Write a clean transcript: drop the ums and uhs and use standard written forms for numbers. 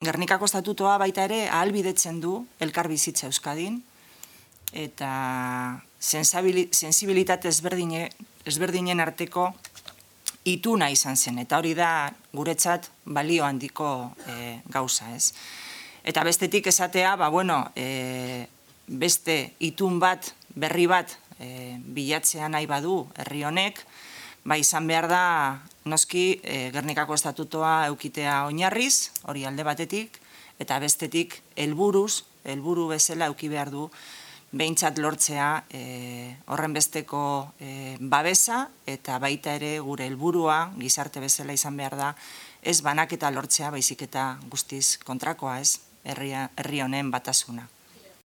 Gernikako estatutoa baita ere ahalbidetzen du elkarbizitza Euskadin, eta sensibilitate ezberdinen arteko ituna izan zen, eta hori da guretzat balio handiko gauza, ez? Eta bestetik esatea, beste itun bat, berri bat bilatzea nahi badu herri honek, izan behar da, noski, Gernikako estatutoa eukitea oinarriz, hori alde batetik, eta bestetik helburu bezala euki behar du, behintzat lortzea horren besteko babesa, eta baita ere gure helburua gizarte bezala izan behar da, ez banaketa lortzea, baizik eta guztiz kontrakoa, ez, herri honen batasuna.